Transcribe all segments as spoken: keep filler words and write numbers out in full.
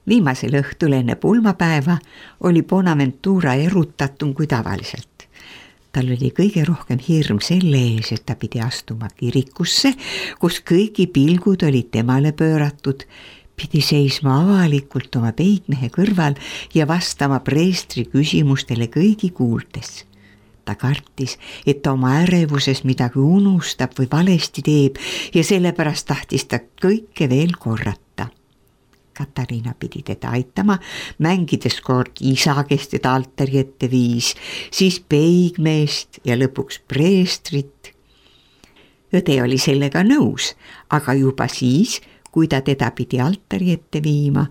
Viimasel õhtul enne pulmapäeva oli Bonaventura erutatum kui tavaliselt. Tal oli kõige rohkem hirm selle ees, et ta pidi astuma kirikusse, kus kõigi pilgud olid temale pööratud, pidi seisma avalikult oma peigmehe kõrval ja vastama preestri küsimustele kõigi kuuldes. Ta kartis, et ta oma ärevuses midagi unustab või valesti teeb ja sellepärast tahtis ta kõike veel korrata. Katariina pidi teda aitama, mängides kord isa, kes teda altari ette viis, siis peigmeest ja lõpuks preestrit. Õde oli sellega nõus, aga juba siis, kui ta teda pidi altari ette viima,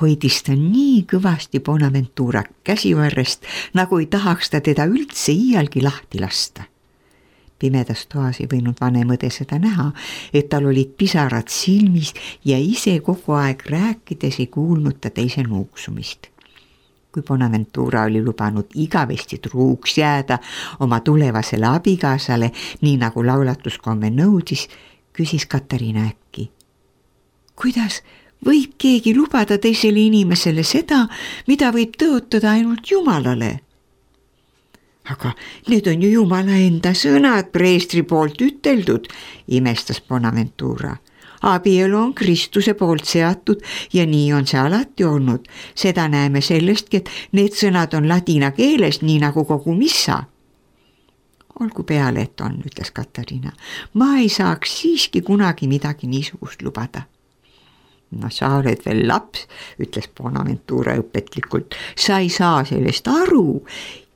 hoidis ta nii kõvasti Bonaventura käsivarrest, nagu ei tahaks ta teda üldse iialgi lahti lasta. Pimedas toas ei võinud vanem õde seda näha, et tal olid pisarad silmis ja ise kogu aeg rääkides ei kuulnud ta teise nuuksumist. Kui Bonaventura oli lubanud igavesti truuks jääda oma tulevasele abikaasale, nii nagu laulatuskomme nõudis, küsis Katariina äkki. Kuidas võib keegi lubada teisele inimesele seda, mida võib tõotada ainult Jumalale? Aga need on ju Jumala enda sõnad preestri poolt üteldud, imestas Bonaventura. Abielu on Kristuse poolt seatud ja nii on see alati olnud. Seda näeme sellestki, et need sõnad on ladina keeles, nii nagu kogu missa. Olgu peale, et on, ütles Katariina. Ma ei saaks siiski kunagi midagi niisugust lubada. No sa oled veel laps, ütles Bonaventura õpetlikult. Sa ei saa sellest aru.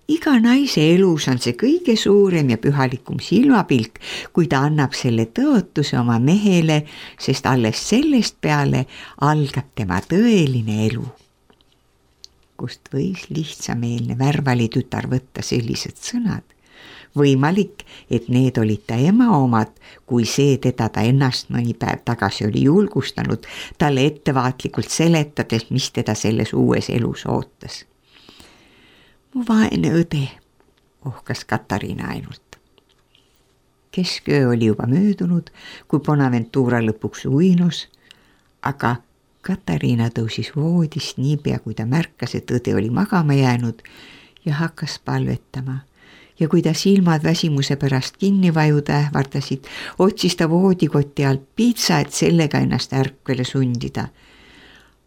Iga naise elus on see kõige suurem ja pühalikum silmapilk, kui ta annab selle tõotuse oma mehele, sest alles sellest peale algab tema tõeline elu. Kust võis lihtsameelne värvali tütar võtta sellised sõnad? Võimalik, et need olid ta ema omad, kui see teda ta ennast mõni päev tagasi oli julgustanud, talle ettevaatlikult seletades, mis teda selles uues elus ootas. Mu vaene õde, ohkas Katariina ainult. Kesköö oli juba möödunud, kui Bonaventura lõpuks uinus, aga Katariina tõusis voodist niipea, kui ta märkas, et õde oli magama jäänud ja hakkas palvetama. Ja kui ta silmad väsimuse pärast kinni vajuda ähvardasid, otsis ta voodikotti alt piitsa, et sellega ennast ärkvele sundida.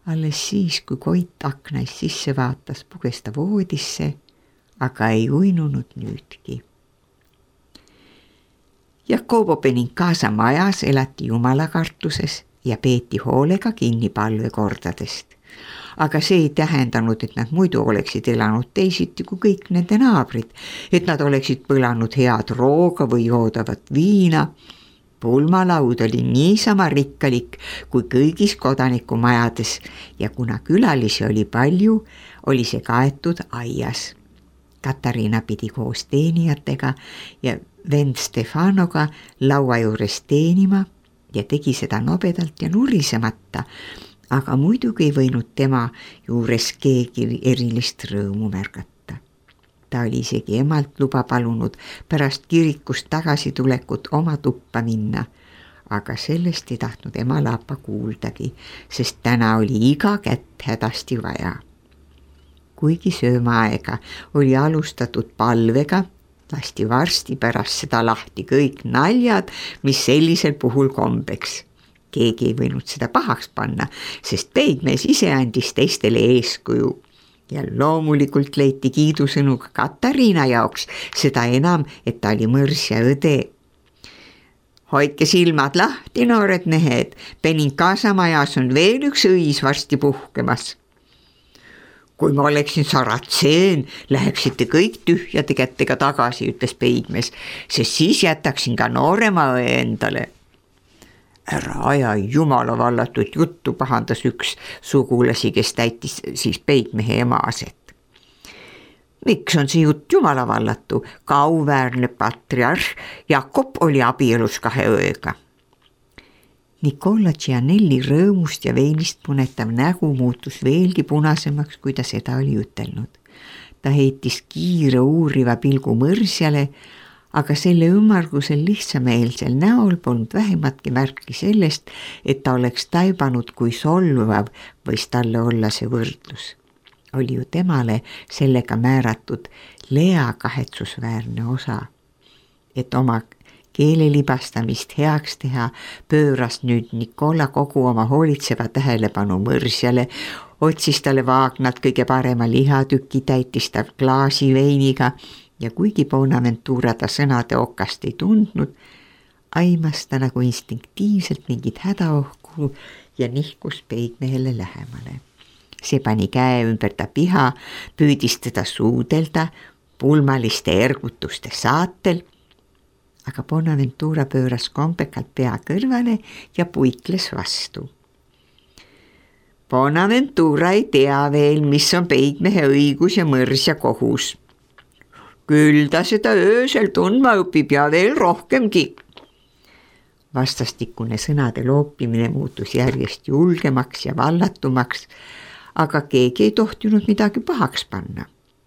Alles siis, kui Koit aknais sisse vaatas, puges ta voodisse, aga ei uinunud nüüdki. Jakobo Benincasa majas elati jumalakartuses ja peeti hoolega kinni palvekordadest. Aga see ei tähendanud, et nad muidu oleksid elanud teisiti kui kõik nende naabrid, et nad oleksid põlanud head rooga või joodavat viina. Pulmalaud oli niisama rikkalik kui kõigis kodanikumajades ja kuna külalisi oli palju, oli see kaetud aias. Katariina pidi koos teenijatega ja vend Stefanoga laua juures teenima ja tegi seda nobedalt ja nurisemata, aga muidugi ei võinud tema juures keegi erilist rõõmu märgata. Ta oli isegi emalt luba palunud pärast kirikust tagasi tulekut oma tuppa minna, aga sellest ei tahtnud ema laapa kuuldagi, sest täna oli iga kätt hädasti vaja. Kuigi söömaaega oli alustatud palvega, lasti varsti pärast seda lahti kõik naljad, mis sellisel puhul kombeks. Keegi ei võinud seda pahaks panna, sest peigmees ise andis teistele eeskuju. Ja loomulikult leiti kiidusõnu ka Katariina jaoks, seda enam, et ta oli mõrs ja õde. Hoidke silmad lahti, noored mehed, Benincasa majas on veel üks õis varsti puhkemas. Kui ma oleksin saratseen, läheksite kõik tühjade kättega tagasi, ütles peigmees, sest siis jätaksin ka noorema õe endale. Ära aja jumala vallatut juttu, pahandas üks sugulasi, kes täitis siis peigmehe ema aset. Miks on see jutt jumala vallatu? Ka auväärne patriarh Jakob oli abielus kahe õega. Nicola Gianelli rõõmust ja veinist punetav nägu muutus veelgi punasemaks, kui ta seda oli ütelnud. Ta heitis kiire uuriva pilgu mõrsjale, aga selle ümmargusel lihtsameelsel näol polnud vähimatki märki sellest, et ta oleks taibanud, kui solvav võis talle olla see võrdlus. Oli ju temale sellega määratud Lea kahetsusväärne osa, et oma keelelibastamist heaks teha pööras nüüd Nikola kogu oma hoolitseva tähelepanu mõrsjale, otsis talle Vaagnalt kõige parema lihatüki, täitis ta klaasi veiniga ja kuigi Bonaventura ta sõnade okast ei tundnud, aimas ta nagu instinktiivselt mingit hädaohku ja nihkus peigmehele lähemale. See pani käe ümber ta piha, püüdis teda suudelda pulmaliste ergutuste saatel, aga Bonaventura pööras kombekalt pea kõrvale ja puikles vastu. Bonaventura ei tea veel, mis on peigmehe õigus ja mõrs ja kohus. Küll ta seda öösel tundma õpib ja veel rohkemgi. Vastastikune sõnade loopimine muutus järjest julgemaks ja vallatumaks, aga keegi ei tohtinud midagi pahaks panna,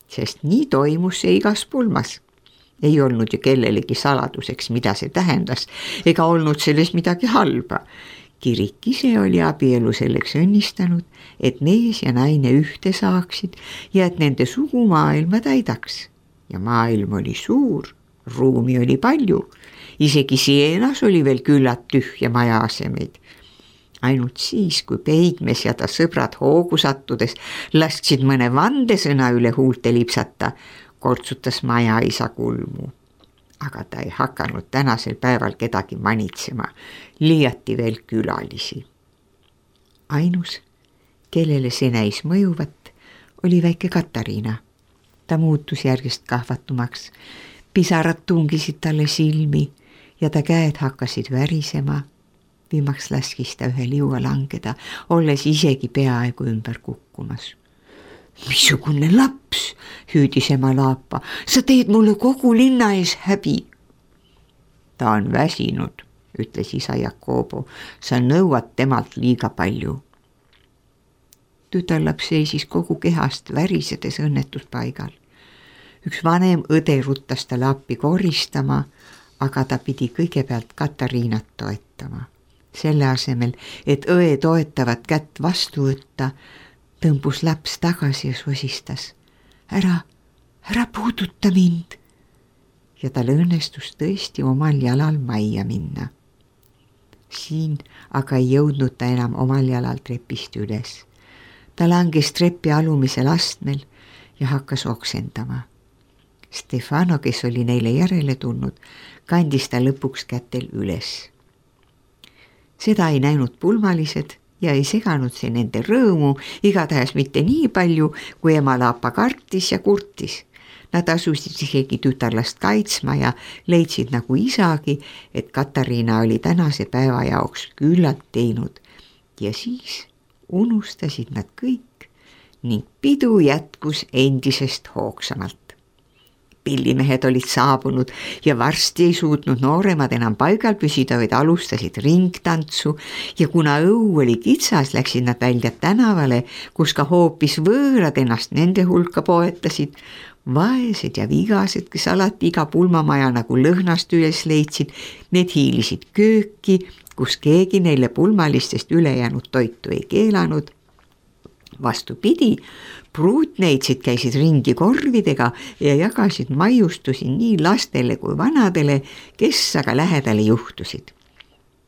sest nii toimus see igas pulmas. Ei olnud ju kellelegi saladuseks, mida see tähendas, ega olnud selles midagi halba. Kirik ise oli abielu selleks õnnistanud, et mees ja naine ühte saaksid ja et nende sugu maailma täidaks. Ja maailm oli suur, ruumi oli palju, isegi Sienas oli veel küllalt tühja maja asemeid. Ainult siis, kui peigmes ja ta sõbrad hoogu sattudes lasksid mõne vandesõna üle huulte lipsata, kortsutas maja isa kulmu. Aga ta ei hakanud tänasel päeval kedagi manitsema, liiati veel külalisi. Ainus, kellele see näis mõjuvat, oli väike Katariina. Ta muutus järjest kahvatumaks, pisarad tungisid talle silmi ja ta käed hakkasid värisema. Viimaks laskis ta ühe liua langeda, olles isegi peaaegu ümber kukkumas. Missugune laps, hüüdis ema Laapa, sa teed mulle kogu linna ees häbi. Ta on väsinud, ütles isa Jakobo, sa nõuad temalt liiga palju. Tütarlaps seisis kogu kehast värisedes õnnetuspaigal. Üks vanem õde ruttas talle appi koristama, aga ta pidi kõigepealt Katariinat toetama. Selle asemel, et õe toetavat kätt vastu võtta, tõmbus laps tagasi ja sosistas. Ära, ära puuduta mind. Ja tal õnnestus tõesti omal jalal majja minna. Siin aga ei jõudnud ta enam omal jalal trepist üles. Ta langes trepi alumisel astmel ja hakkas oksendama. Stefano, kes oli neile järele tulnud, kandis ta lõpuks kätel üles. Seda ei näinud pulmalised ja ei seganud see nende rõõmu, igatahes mitte nii palju, kui ema Laapa kartis ja kurtis. Nad asusid isegi tütarlast kaitsma ja leidsid nagu isagi, et Katariina oli tänase päeva jaoks küllalt teinud. Ja siis unustasid nad kõik ning pidu jätkus endisest hoogsamalt. Pillimehed olid saabunud ja varsti ei suutnud nooremad enam paigal püsida, vaid alustasid ringtantsu ja kuna õu oli kitsas, läksid nad välja tänavale, kus ka hoopis võõrad ennast nende hulka poetasid. Vaesed ja vigased, kes alati iga pulmamaja nagu lõhnast üles leidsid, need hiilisid kööki, kus keegi neile pulmalistest ülejäänud toitu ei keelanud. Vastupidi, pruutneitsid käisid ringi korvidega ja jagasid maiustusi nii lastele kui vanadele, kes aga lähedale juhtusid.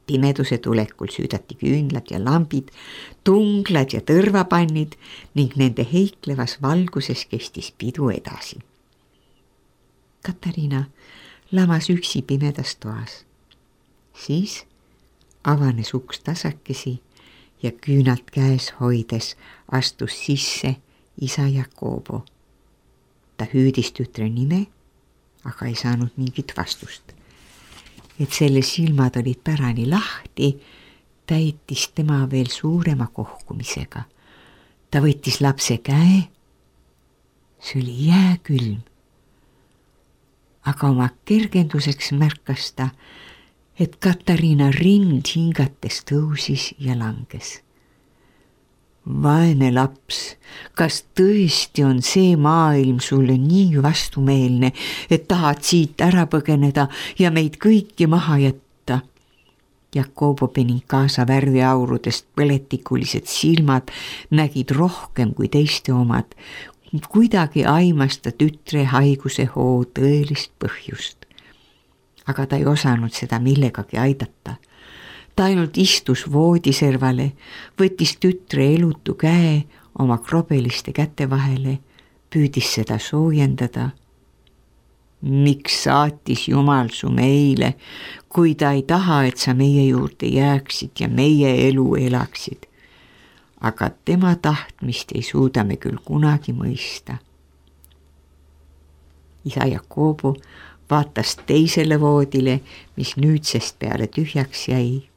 Pimeduse tulekul süüdati küünlad ja lambid, tunglad ja tõrvapannid ning nende heiklevas valguses kestis pidu edasi. Katariina lamas üksi pimedas toas. Siis avanes uks tasakesi ja küünalt käes hoides astus sisse isa Jakobo. Ta hüüdis tütre nime, aga ei saanud mingit vastust. Et selle silmad olid pärani lahti, täitis tema veel suurema kohkumisega. Ta võttis lapse käe, see oli jääkülm. Aga oma kergenduseks märkas ta, et Katariina rind hingates tõusis ja langes. vaene laps, kas tõesti on see maailm sulle nii vastumeelne, et tahad siit ära põgeneda ja meid kõiki maha jätta? Jakobo Benincasa värviaurudest põletikulised silmad nägid rohkem kui teiste omad. Kuidagi aimas ta tütre haiguse hoo tõelist põhjust. Aga ta ei osanud seda millegagi aidata. Ta ainult istus voodiservale, võttis tütre elutu käe oma krobeliste käte vahele, püüdis seda soojendada. Miks saatis Jumal su meile, kui ta ei taha, et sa meie juurde jääksid ja meie elu elaksid? Aga tema tahtmist ei suuda me küll kunagi mõista. Isa Jakobo vaatas teisele voodile, mis nüüdsest peale tühjaks jäi.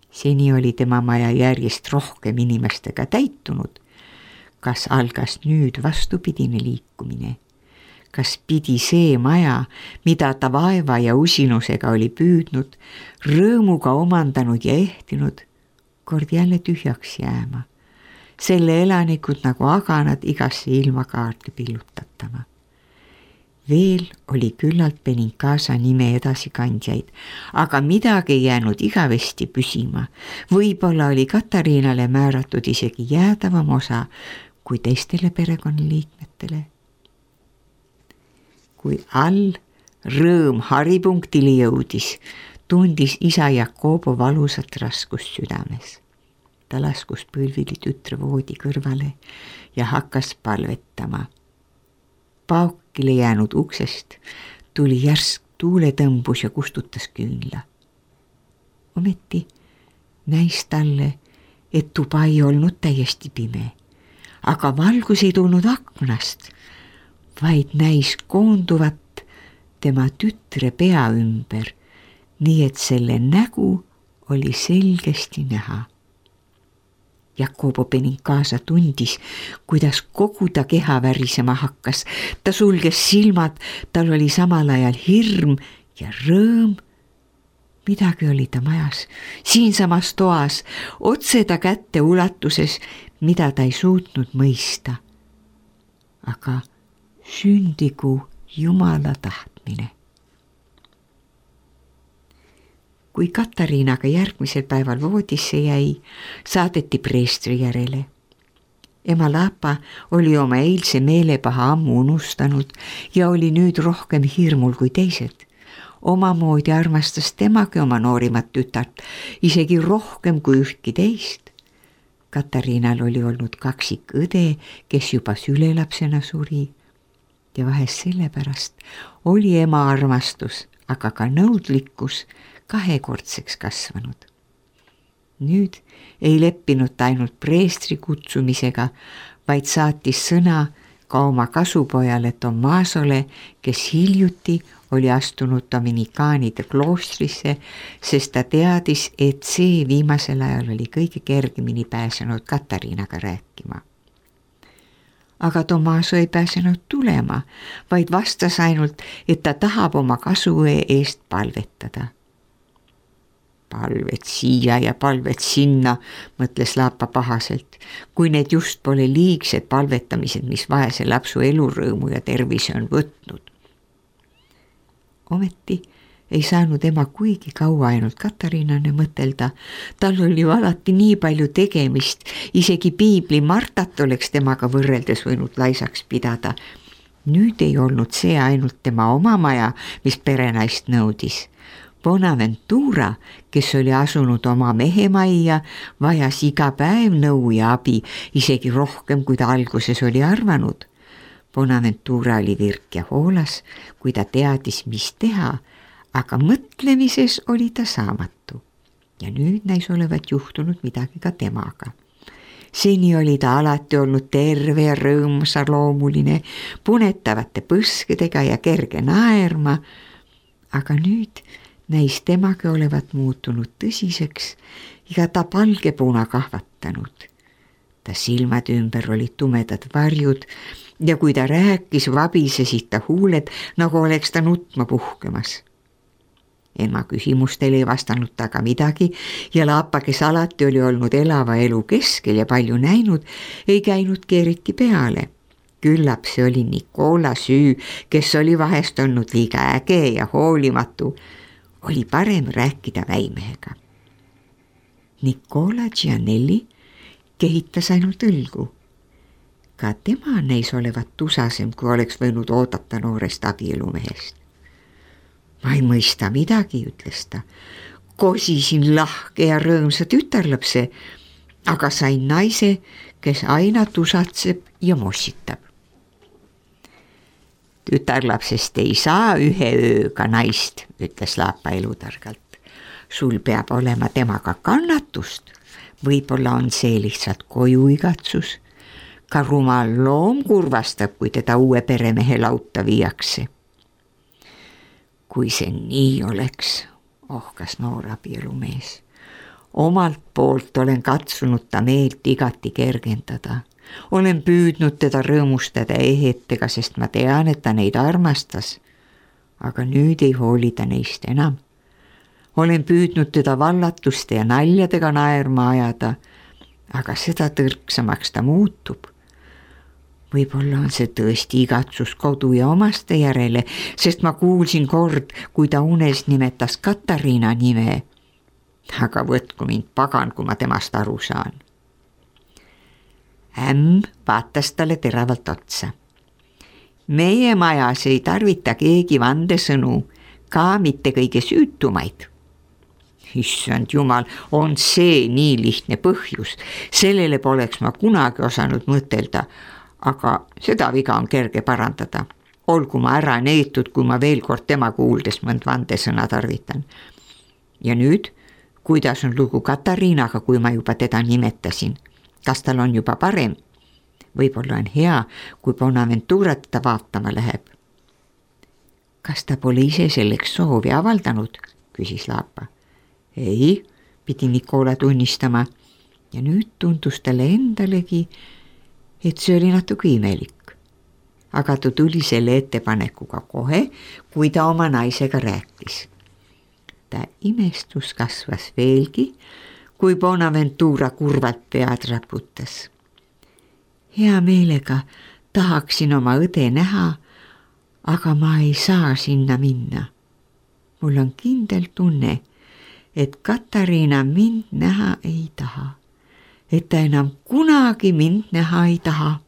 Seni oli tema maja järjest rohkem inimestega täitunud. Kas algas nüüd vastupidine liikumine? Kas pidi see maja, mida ta vaeva ja usinusega oli püüdnud, rõõmuga omandanud ja ehtinud, kord jälle tühjaks jääma? Selle elanikud nagu aganad igasse ilmakaarde pillutatama. Veel oli küllalt Benincasa nime edasikandjaid, aga midagi ei jäänud igavesti püsima. Võib-olla oli Katariinale määratud isegi jäädavam osa kui teistele perekonnaliikmetele. Kui all rõõm haripunktile jõudis, tundis isa Jakobo valusat raskust südames. Ta laskus põlvili tütre voodi kõrvale ja hakkas palvetama. Paukile jäänud uksest tuli järsk tuuletõmbus ja kustutas küünla. Ometi näis talle, et tuba ei olnud täiesti pime, aga valgus ei tulnud aknast, vaid näis koonduvat tema tütre pea ümber, nii et selle nägu oli selgesti näha. Jakobo Benincasa tundis, kuidas kogu ta keha värisema hakkas. Ta sulges silmad, tal oli samal ajal hirm ja rõõm. Midagi oli ta majas, siinsamas toas, otse ta kätte ulatuses, mida ta ei suutnud mõista. Aga sündigu Jumala tahtmine. Kui Katariinaga järgmisel päeval voodisse jäi, saadeti preestri järele. Ema Lapa oli oma eilse meelepaha ammu unustanud ja oli nüüd rohkem hirmul kui teised. Omamoodi armastas temagi oma noorimat tütart, isegi rohkem kui ühtki teist. Katariinal oli olnud kaksik õde, kes juba sülelapsena suri. Ja vahest sellepärast oli ema armastus, aga ka nõudlikkus kahekordseks kasvanud. Nüüd ei leppinud ta ainult preestri kutsumisega, vaid saatis sõna ka oma kasupojale Tomasole, kes hiljuti oli astunud dominikaanide kloostrisse, sest ta teadis, et see viimasel ajal oli kõige kergemini pääsenud Katariinaga rääkima. Aga Tomaso ei pääsenud tulema, vaid vastas ainult, et ta tahab oma kasuvõe eest palvetada. Palvet siia ja palvet sinna, mõtles Lapa pahaselt, kui need just pole liigsed palvetamised, mis vaese lapsu elurõõmu ja tervise on võtnud. Ometi ei saanud ema kuigi kaua ainult Katariinane mõtelda. Tal oli ju alati nii palju tegemist, isegi piibli Martat oleks temaga võrreldes võinud laisaks pidada. Nüüd ei olnud see ainult tema oma maja, mis perenaist nõudis. Bonaventura, kes oli asunud oma mehemajja, vajas iga päev nõu ja abi, isegi rohkem, kui ta alguses oli arvanud. Bonaventura oli virk ja hoolas, kui ta teadis, mis teha, aga mõtlemises oli ta saamatu. Ja nüüd näis olevat juhtunud midagi ka temaga. Seni oli ta alati olnud terve ja rõõmsa loomuline, punetavate põskedega ja kerge naerma, aga nüüd näis temagi olevat muutunud tõsiseks ja ta palgepuna kahvatanud. Ta silmad ümber olid tumedad varjud ja kui ta rääkis, vabisesid ta huuled, nagu oleks ta nutma puhkemas. Ema küsimustele ei vastanud ta ka midagi ja Laapa, kes alati oli olnud elava elu keskel ja palju näinud, ei käinudki eriti peale. Küllap see oli Nikola süü, kes oli vahest olnud liiga äge ja hoolimatu. Oli parem rääkida väimehega. Nikola Gianelli kehitas ainult õlgu. Ka tema näis olevat tusasem, kui oleks võinud oodata noorest abielumehest. Ma ei mõista midagi, ütles ta. Kosisin lahke ja rõõmsa tütarlapse, aga sain naise, kes aina tusatseb ja mossitab. Tütarlapsest ei saa ühe ööga naist, ütles Laapa elutargalt. Sul peab olema temaga kannatust. Võib-olla on see lihtsalt koju igatsus. Ka rumal loom kurvastab, kui teda uue peremehe lauta viiakse. Kui see nii oleks, ohkas noor abielumees. Omalt poolt olen katsunud ta meelt igati kergendada. Olen püüdnud teda rõõmustada ehetega, sest ma tean, et ta neid armastas. Aga nüüd ei hooli ta neist enam. Olen püüdnud teda vallatuste ja naljadega naerma ajada, aga seda tõrksamaks ta muutub. Võib-olla on see tõesti igatsus kodu ja omaste järele, sest ma kuulsin kord, kui ta unes nimetas Katariina nime. Aga võtku mind pagan, kui ma temast aru saan. Ämm vaatas talle teravalt otsa. Meie majas ei tarvita keegi vandesõnu, ka mitte kõige süütumaid. Issand jumal, on see nii lihtne põhjus. Sellele poleks ma kunagi osanud mõtelda, aga seda viga on kerge parandada. Olgu ma ära neetud, kui ma veel kord tema kuuldes mõnd vandesõna tarvitan. Ja nüüd, kuidas on lugu Katariinaga, kui ma juba teda nimetasin? Kas tal on juba parem? Võib-olla on hea, kui Bonaventura teda vaatama läheb. Kas ta pole ise selleks soovi avaldanud? Küsis Laapa. Ei, pidi Nikola tunnistama. Ja nüüd tundus talle endalegi, et see oli natuke imelik. Aga ta tuli selle ettepanekuga kohe, kui ta oma naisega rääkis. Ta imestus kasvas veelgi, kui Bonaventura kurvalt pead raputas. Hea meelega tahaksin oma õde näha, aga ma ei saa sinna minna. Mul on kindel tunne, et Katariina mind näha ei taha, et ta enam kunagi mind näha ei taha.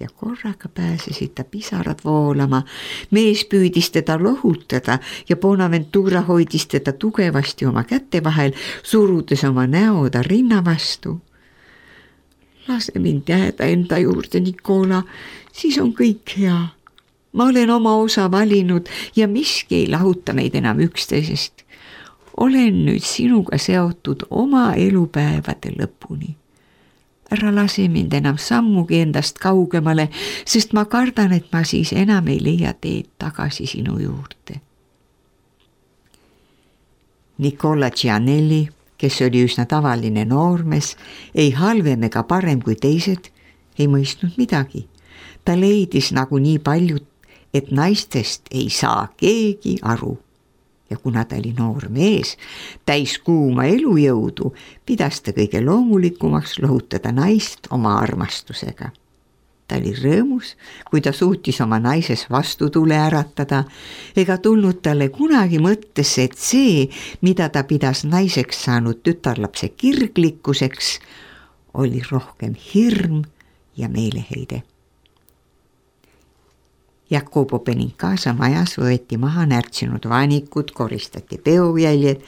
Ja korraga pääsesid ta pisarad voolama, mees püüdis teda lohutada ja Bonaventura hoidis teda tugevasti oma käte vahel, surudes oma näo ta rinna vastu. Lase mind jääda enda juurde, Nikola, siis on kõik hea. Ma olen oma osa valinud ja miski ei lahuta meid enam üksteisest. Olen nüüd sinuga seotud oma elupäevade lõpuni. Ära lase mind enam sammugi endast kaugemale, sest ma kardan, et ma siis enam ei leia teed tagasi sinu juurde. Nikola Gianelli, kes oli üsna tavaline noormees, ei halvem ega parem kui teised, ei mõistnud midagi. Ta leidis nagu nii paljud, et naistest ei saa keegi aru. Ja kuna ta oli noor mees, täis kuuma elujõudu, pidas ta kõige loomulikumaks lohutada naist oma armastusega. Ta oli rõõmus, kui ta suutis oma naises vastutule äratada, ega tulnud talle kunagi mõttesse, et see, mida ta pidas naiseks saanud tütarlapse kirglikkuseks, oli rohkem hirm ja meeleheide. Jacopo Benincasa majas võeti maha närtsinud vaanikud, koristati peojäljed,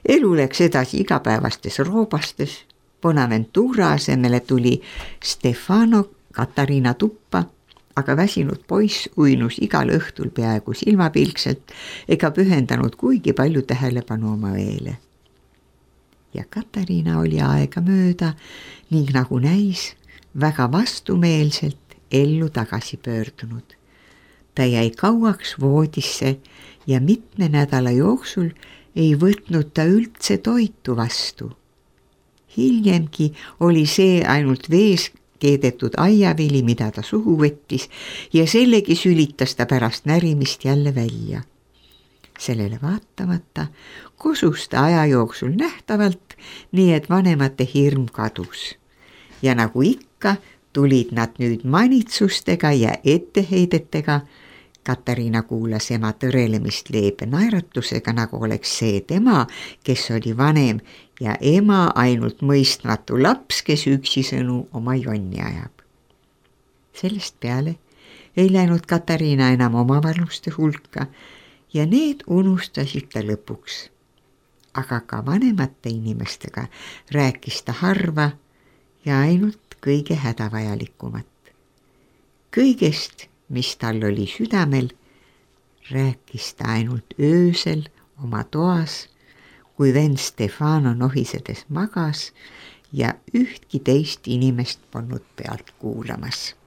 elu läks edasi igapäevastes roobastes, Bonaventura asemele tuli Stefano Katariina tuppa, aga väsinud poiss uinus igal õhtul peaaegu silmapilkselt ega pühendanud kuigi palju tähelepanu oma õele. Ja Katariina oli aega mööda ning nagu näis, väga vastumeelselt ellu tagasi pöördunud. Ta jäi kauaks voodisse ja mitme nädala jooksul ei võtnud ta üldse toitu vastu. Hiljemgi oli see ainult vees keedetud aiavili, mida ta suhu võttis ja sellegi sülitas ta pärast närimist jälle välja. sellele vaatamata kosus ta aja jooksul nähtavalt, nii et vanemate hirm kadus. Ja nagu ikka, tulid nad nüüd manitsustega ja etteheidetega. Katariina kuulas ema tõrelemist leebe naeratusega, nagu oleks see tema, kes oli vanem, ja ema ainult mõistmatu laps, kes üksisõnu oma jonni ajab. Sellest peale ei läinud Katariina enam omavaluste hulka ja need unustasid ta lõpuks. Aga ka vanemate inimestega rääkis ta harva ja ainult kõige hädavajalikumat. Kõigest, mis tal oli südamel, rääkis ta ainult öösel oma toas, kui vend Stefano nohisedes magas ja ühtki teist inimest polnud pealt kuulamas.